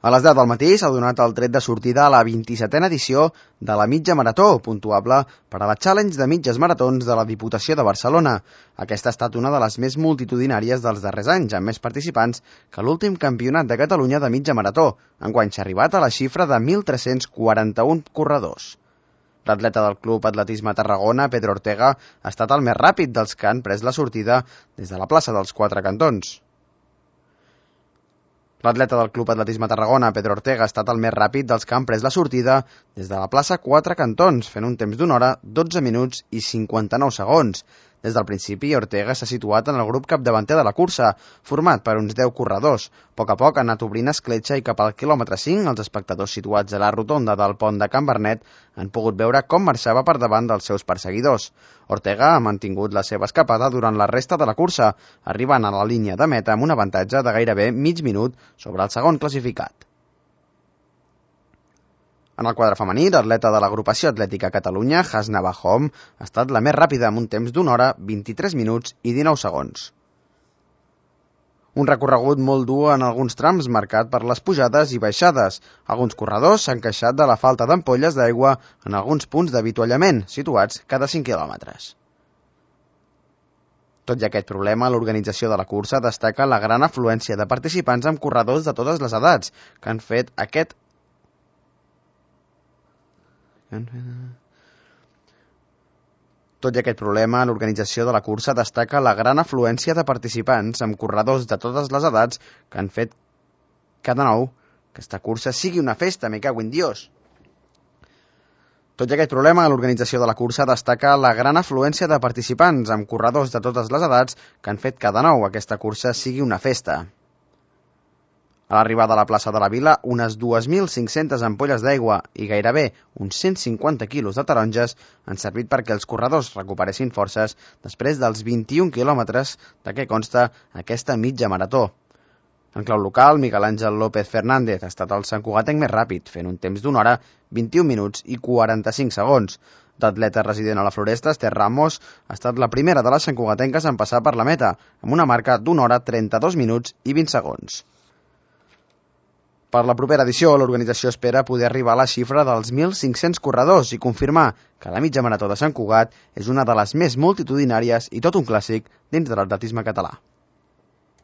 A les 10 del matí s'ha donat el tret de sortida a la 27a edició de la mitja marató, puntuable per a la Challenge de mitges maratons de la Diputació de Barcelona. Aquesta ha estat una de les més multitudinàries dels darrers anys, amb més participants que l'últim campionat de Catalunya de mitja marató. Enguany s'ha arribat a la xifra de 1.341 corredors. L'atleta del Club Atletisme Tarragona, Pedro Ortega, ha estat el més ràpid dels que han pres la sortida des de la plaça dels Quatre Cantons. L'atleta del Club Atletisme Tarragona, Pedro Ortega, ha estat el més ràpid dels que han pres la sortida des de la plaça Quatre Cantons, fent un temps d'una hora, 12 minuts i 59 segons. Des del principi, Ortega s'ha situat en el grup capdavanter de la cursa, format per uns 10 corredors. A poc ha anat obrint escletxa i cap al quilòmetre 5, els espectadors situats a la rotonda del pont de Can Bernet han pogut veure com marxava per davant dels seus perseguidors. Ortega ha mantingut la seva escapada durant la resta de la cursa, arribant a la línia de meta amb un avantatge de gairebé mig minut sobre el segon classificat. En el quadre femení, l'atleta de l'agrupació atlètica Catalunya, Hasna Bahom, ha estat la més ràpida amb un temps d'una hora, 23 minuts i 19 segons. Un recorregut molt dur en alguns trams marcat per les pujades i baixades. Alguns corredors s'han queixat de la falta d'ampolles d'aigua en alguns punts d'avituallament, situats cada 5 quilòmetres. Tot i aquest problema, l'organització de la cursa destaca la gran afluència de participants amb corredors de totes les edats, que han fet aquest Tot i aquest problema, l'organització de la cursa destaca la gran afluència de participants amb corredors de totes les edats que han fet cada nou que aquesta cursa sigui una festa, me cago en Dios. Tot i aquest problema, l'organització de la cursa destaca la gran afluència de participants amb corredors de totes les edats que han fet cada nou aquesta cursa sigui una festa. A l'arribada a la plaça de la Vila, unes 2.500 ampolles d'aigua i gairebé uns 150 quilos de taronges han servit perquè els corredors recuperessin forces després dels 21 quilòmetres de què consta aquesta mitja marató. En clau local, Miguel Àngel López Fernández ha estat el santcugatenc més ràpid, fent un temps d'una hora, 21 minuts i 45 segons. L'atleta resident a la Floresta, Esther Ramos, ha estat la primera de les santcugatenques en passar per la meta, amb una marca d'una hora, 32 minuts i 20 segons. Per la propera edició, l'organització espera poder arribar a la xifra dels 1.500 corredors i confirmar que la mitja marató de Sant Cugat és una de les més multitudinàries i tot un clàssic dins de l'atletisme català.